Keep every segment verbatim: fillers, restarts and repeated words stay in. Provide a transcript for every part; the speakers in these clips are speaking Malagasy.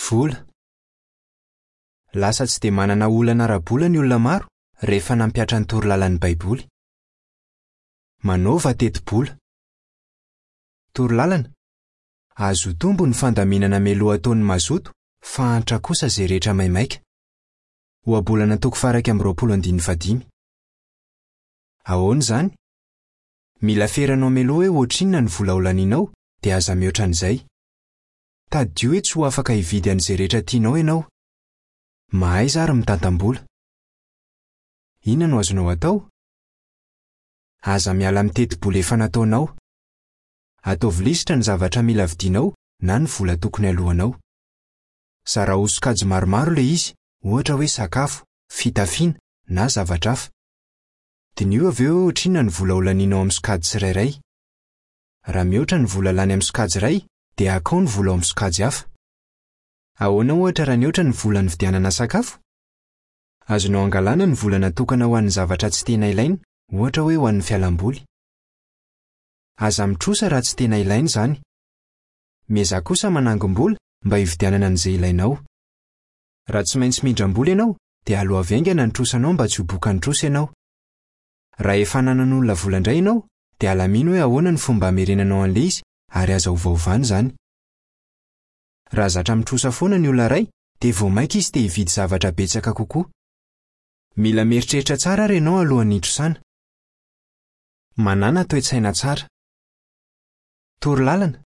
Vola. Lasa tsy dia manana olana ara-bola ny olona maro rehefa nampihatra ny torolalan'ny Baiboly. Manaova teti-bola. Torolalana. Azo tombo ny fandaminana mialoha ataon'ny mazoto fa antra kosa izay rehetra maimaika. Ohabolana toko faha-iraika amby roapolo andininy fahadimy. Ahoana izany? Mila feranao mialoha hoe ohatrinona ny vola ho lanianao dia aza mihoatra an'izay. Tadidio hoe tsy ho afaka hividy an'izay rehetra tianao ianao. Mahaiza ary mitantam-bola. Inona no azonao atao? Aza miala amin'ny teti-bola efa nataonao. Ataovy lisitra ny zavatra mila vidianao na ny vola tokony alohanao. Zarao ho sokajy maromaro ilay izy, ohatra hoe sakafo, fitafiana na zavatra hafa. Diniho avy eo hoe ohatrinona ny vola ho lanianao amin'ny sokajy tsirairay. Raha mihoatra ny vola lany amin'ny sokajy iray, dia akao ny vola ao amin'ny sokajy hafa. Ahoana ohatra raha nihoatra ny vola nividianana sakafo? Azonao angalana ny vola natokana ho an'ny zavatra tsy tena ilaina, ohatra hoe ho an'ny fialamboly. Aza mitrosa raha tsy tena ilaina izany. Miezaha kosa manangom-bola mba hividianana an'izay ilainao. Raha tsy maintsy mindram-bola ianao, dia aloavy haingana ny trosanao mba tsy ho bokan'ny trosa ianao. Raha efa nanan'olona vola indray ianao, dia alamino hoe ahoana ny fomba hamerenanao an'ilay izy ary aza ovaovana izany. Raha zatra mitrosa foana ny olona iray, dia vao mainka izy te hividy zavatra betsaka kokoa. Mila mieritreritra tsara ary ianao alohan'ny hitrosana. Manàna toe-tsaina tsara. Torolalana.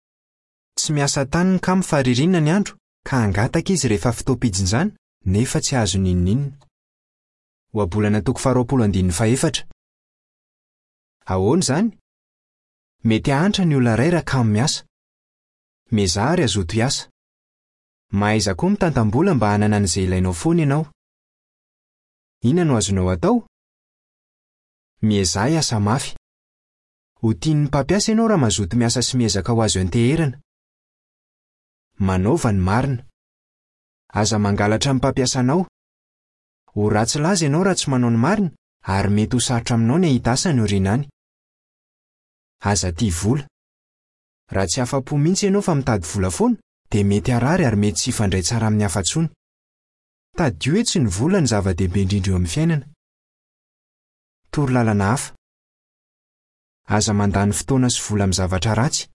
Tsy miasa tany ny kamo fa ririnina ny andro ka hangataka izy rehefa fotoam-pijinjana nefa tsy azo n'inon'inona. Ohabolana toko faharoapolo andininy fahefatra. Ahoana izany? Mety hahantra ny olona iray raha kamo miasa. Miezaha ary hazoto hiasa. Mahaiza koa mitantam-bola mba hanana an'izay ilainao foana ianao. Inona no azonao atao? Miezaha hiasa mafy. Ho tian'ny mpampiasa ianao raha mazoto miasa sy miezaka ho azo ianteherana. Manaova ny marina. Aza mangalatra ny mpampiasanao. Ho ratsy laza ianao raha tsy manao ny marina ary mety ho sarotra aminao ny hahita asa ny aoriana any. Aza tia vola. Raha tsy afa-po mihitsy ianao fa mitady vola foana, dia mety harary ary mety tsy hifandray tsara amin'ny hafa intsony. Tadidio hoe tsy ny vola ny zava-dehibe indrindra eo amin'ny fiainana. Torolalana hafa. Aza mandany fotoana sy vola amin'ny zavatra ratsy.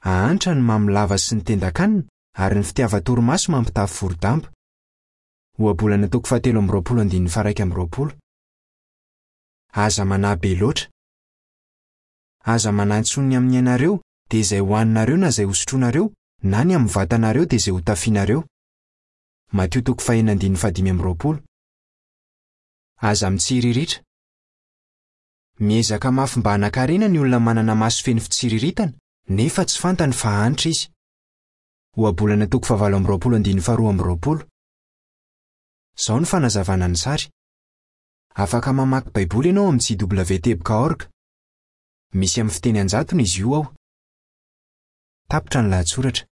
Ahantra ny mamy lava sy ny tendan-kanina ary ny fitiavan-torimaso mampitafy voro-damba. Ohabolana toko fahatelo amby roapolo andininy faha-iraika amby roapolo. Aza manahy be loatra. Aza manahy intsony ny amin'ny ainareo dia izay hohaninareo na izay hosotroinareo na ny amin'ny vatanareo dia izay hotafianareo. Matio toko fahenina andininy fahadimy amby roapolo. Aza mitsiriritra. Miezaka mafy mba hanan-karena ny olona manana maso feno fitsiriritana nefa tsy fantany fa hahantra izy. Ohabolana toko fahavalo amby roapolo andininy faharoa amby roapolo. Izao ny fanazavana ny sary. Afaka mamaky Baiboly ianao amin'ny J W teboka org. Misy amin'ny fiteny an-jatony izy io ao. Tapitra ny lahatsoratra.